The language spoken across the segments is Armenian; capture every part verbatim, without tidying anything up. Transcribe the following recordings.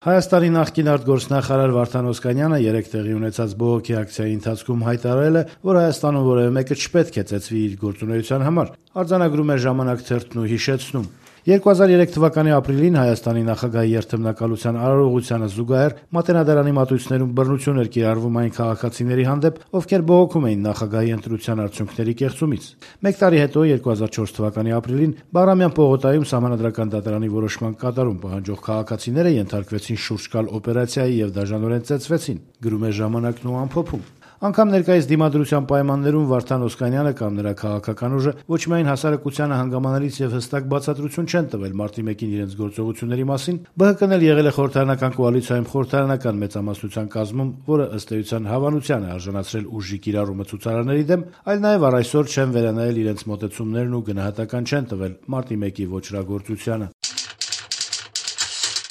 Հայաստանի նախկին արտգործնախարար Վարդան Օսկանյանը երեկ տեղի ունեցած բողոքի ակցիայի ընթացքում հայտարարել է, որ Հայաստանում որևէ մեկը չպետք է ծեծվի իր գործունեության համար, արձանագրում է «Ժամանակ» թերթն ու հիշեցնում. երկու հազար երեք թվականի ապրիլին Հայաստանի նախագահի երթմնակալության արարողությանը զուգահեռ Մատենադարանի մատույցներում բռնություն էր կիրառվում այն քաղաքացիների հանդեպ, ովքեր բողոքում էին նախագահի ընտրության արդյունքների կեղծումից։ Մեկ տարի հետո երկու հազար չորս թվականի ապրիլին Բաղրամյան պողոտայում Սահմանադրական դատարանի որոշման կատարում պահանջող քաղաքացիները ենթարկվեցին շուրջկալ օպերացիայի եւ դաժանորեն ծեծվեցին, գրում է «Ժամանակն» ու ամփոփում։ Անգամ ներկայիս դիմադրության պայմաններում Վարդան Օսկանյանը կամ նրա քաղաքական ուժը ոչ միայն հասարակությանը հանգամանալից եւ հստակ բացատրություն չեն տվել մարտի մեկին իրենց գործողությունների մասին, ԲՀԿ-ն էլ եղել է խորհրդարանական կոալիցիայում խորհրդարանական մեծամասնության կազմում, որը ըստ էության հավանության է արժանացրել ուժի կիրառումը ցուցարարների դեմ, այլ նաեւ առ այսօր չեն վերանայել իրենց մոտեցումներն ու գնահատական չեն տվել մարտի մեկի ոճրագործությանը։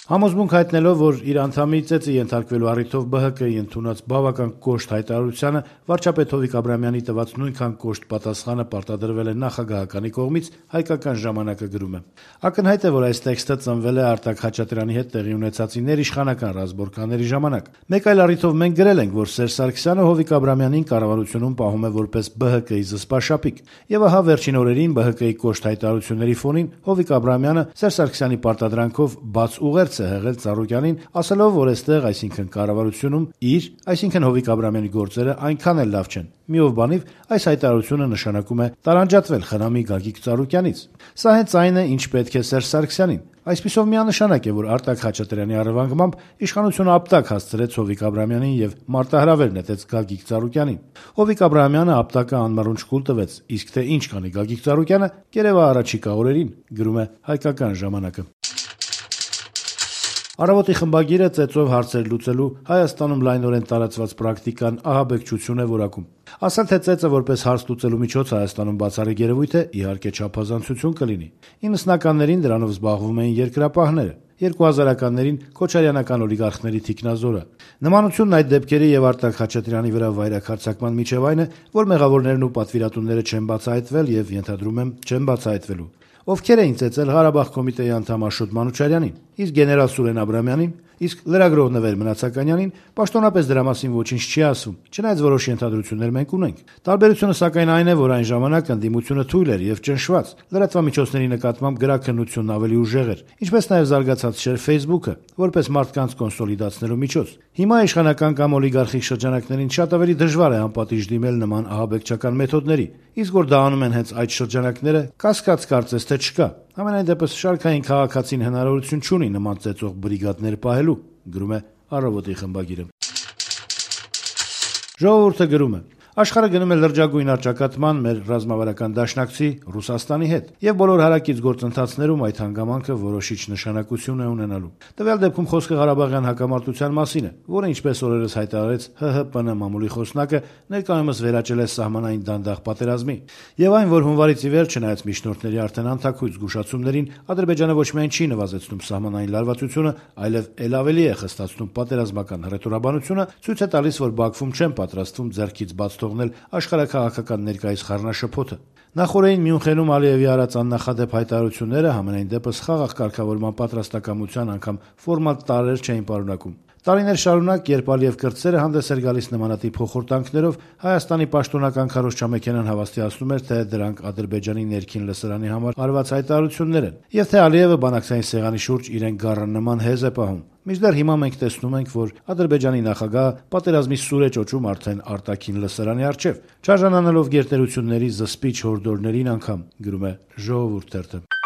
Համոզմունք հայտնելով, որ իր անդամի ծեծի ենթարկվելու առիթով ԲՀԿ-ի ընդունած բավական կոշտ հայտարարությանը վարչապետ Հովիկ Աբրահամյանի տված նույնքան կոշտ պատասխանը պարտադրվել է նախագահականի կողմից, հայկական ժամանակը գրում է. Ակնհայտ է, որ այս տեքստը ծնվել է Արտակ Խաչատրյանի հետ տեղի ունեցածի ներիշխանական ռազմորկանների ժամանակ։ Մեկ այլ առիթով մենք գրել ենք, որ Սերժ Սարգսյանը Հովիկ Աբրահամյանին կառավարությունում պահում է որպես ԲՀԿ-ի զսպաշապիկ, եւ ահա վերջին օրերին ԲՀԿ-ի կոշտ հայտարարությունների ֆոնին Հովիկ Աբրահամյանը Սերժ Սարգսյանի պարտադրանքով բաց ուղերձ է հղել Ծառուկյանին, ասելով, որ այստեղ, այսինքն կառավարությունում, իր, այսինքն Հովիկ Աբրահամյանի գործերը այնքան էլ լավ չեն։ Միով բանիվ, այս հայտարարությունը նշանակում է տարանջատվել խնամի Գագիկ Ծառուկյանից։ Սա հենց այն է, ինչ պետք է Սերժ Սարգսյանին։ Այսպիսով միանշանակ է, որ Արտակ Խաչատրյանի առևանգմամբ իշխանությունը ապտակ հասցրեց Հովիկ Աբրահամյանին եւ մարտահրավեր նետեց Գագիկ Ծառուկյանին։ Հովիկ Աբրահամյանը ապտակը անմռունչ կուլ տվեց, իսկ թե ինչ կանի Գագիկ Ծառուկյանը, կերևա առաջիկա օրերին, գրում է հայկական ժամանակը։ Առավոտի խմբագիրը ծեծով հարցեր լուծելու Հայաստանում լայնորեն տարածված պրակտիկան ահաբեկչություն է որակում։ Ասել թե ծեծը որպես հարց լուծելու միջոց Հայաստանում բացառիկ երևույթ է, իհարկե չափազանցություն կլինի։ իննսնականներին դրանով զբաղվում էին երկրապահները, երկու հազարականներին քոչարյանական օլիգարխների թիկնազորը։ Նմանությունն այդ դեպքերի եւ Արտակ Խաչատրյանի վրա վայրաքարցակման միջև այն է, որ մեղավորներն ու պատվիրատուները չեն բացահայտվել եւ ենթադրում եմ չեն բացահայտվելու։ Ովքեր էին ծեծել Ղարաբաղ կոմիտեի անդամ Աշոտ Մանուչարյանին, իսկ գեներալ Սուրեն Աբրահամյանին, իսկ լրագրող Նվեր Մնացականյանին պաշտոնապես դրա մասին ոչինչ չի ասում, չնայած որոշ ենթադրություններ մենք ունենք։ Տարբերությունը սակայն այն է, որ այն ժամանակ ընդդիմությունը թույլ էր եւ ճնշված, լրատվամիջոցների նկատմամբ գրաքննությունն ավելի ուժեղ էր, ինչպես նաեւ զարգացած չէր Facebook-ը, որպես մարդկանց կոնսոլիդացնելու միջոց։ Հիմա իշխանական կամ օլիգարխիկ շրջանակներին շատ ավելի դժվար է անպատիժ դիմել նման ահաբեկչական մեթոդների, իսկ որ դա անում են հենց այդ շրջանակները, կասկած կարծես թե չկա։ Համենայն դեպս շարքային քաղաքացին հնարավորություն չունի նման ծեծող բրիգադներ պահելու, գրում է Առավոտի խմբագիրը։ Ժողովուրդը գրում է. Աշխարհը գնում է լրջագույն առճակատման մեր ռազմավարական դաշնակցի Ռուսաստանի հետ, եւ բոլոր հարակից գործընթացներում այդ հանգամանքը որոշիչ նշանակություն է ունենալու։ Տվյալ դեպքում խոսքը Ղարաբաղյան հակամարտության մասին է, որը ինչպես օրերս հայտարարեց ՀՀՊՆ մամուլի խոսնակը, ներկայումս վերաճել է սահմանային դանդաղ պատերազմի։ Եվ այն, որ հունվարից ի վեր, չնայած միջնորդների արդեն անթաքույց զգուշացումներին, Ադրբեջանը ոչ միայն չի նվազեցնում սահմանային լարվածությունը, այլև ել ավելի է խստացնում պատերազմական հռետորաբանությունը, ցույց է տալիս, որ Բաքվում չեն պատրաստվում ձեռքից բաց թողնել աշխարհաքաղաքական ներկայիս խառնաշփոթը։ Նախորդին Մյունխենում Ալիևի արած աննախադեպ հայտարարությունները համենայն դեպս խաղաղ կարգավորման պատրաստակամության անգամ ֆորմալ տարրեր չէին պարունակում։ Տարիներ շարունակ, երբ Ալիև կրտսերը հանդես էր գալիս նմանատիպ փոխորտանքներով, Հայաստանի պաշտոնական քարոզչամեքենան հավաստիացնում էր, թե դրանք Ադրբեջանի ներքին լսարանի համար արված հայտարարություններ են, եւ թե Ալիևը բանակցային սեղանի շուրջ իրեն գառնման հեզ է պահում։ Մինչդեռ հիմա մենք տեսնում ենք, որ Ադրբեջանի նախագահը պատերազմի սուր է ճոճում արդեն արտաքին լսարանի առջև, չարժանանալով գերտերությունների զսպիչ հորդորներին անգամ, գրում է Ժողովուրդ թերթը։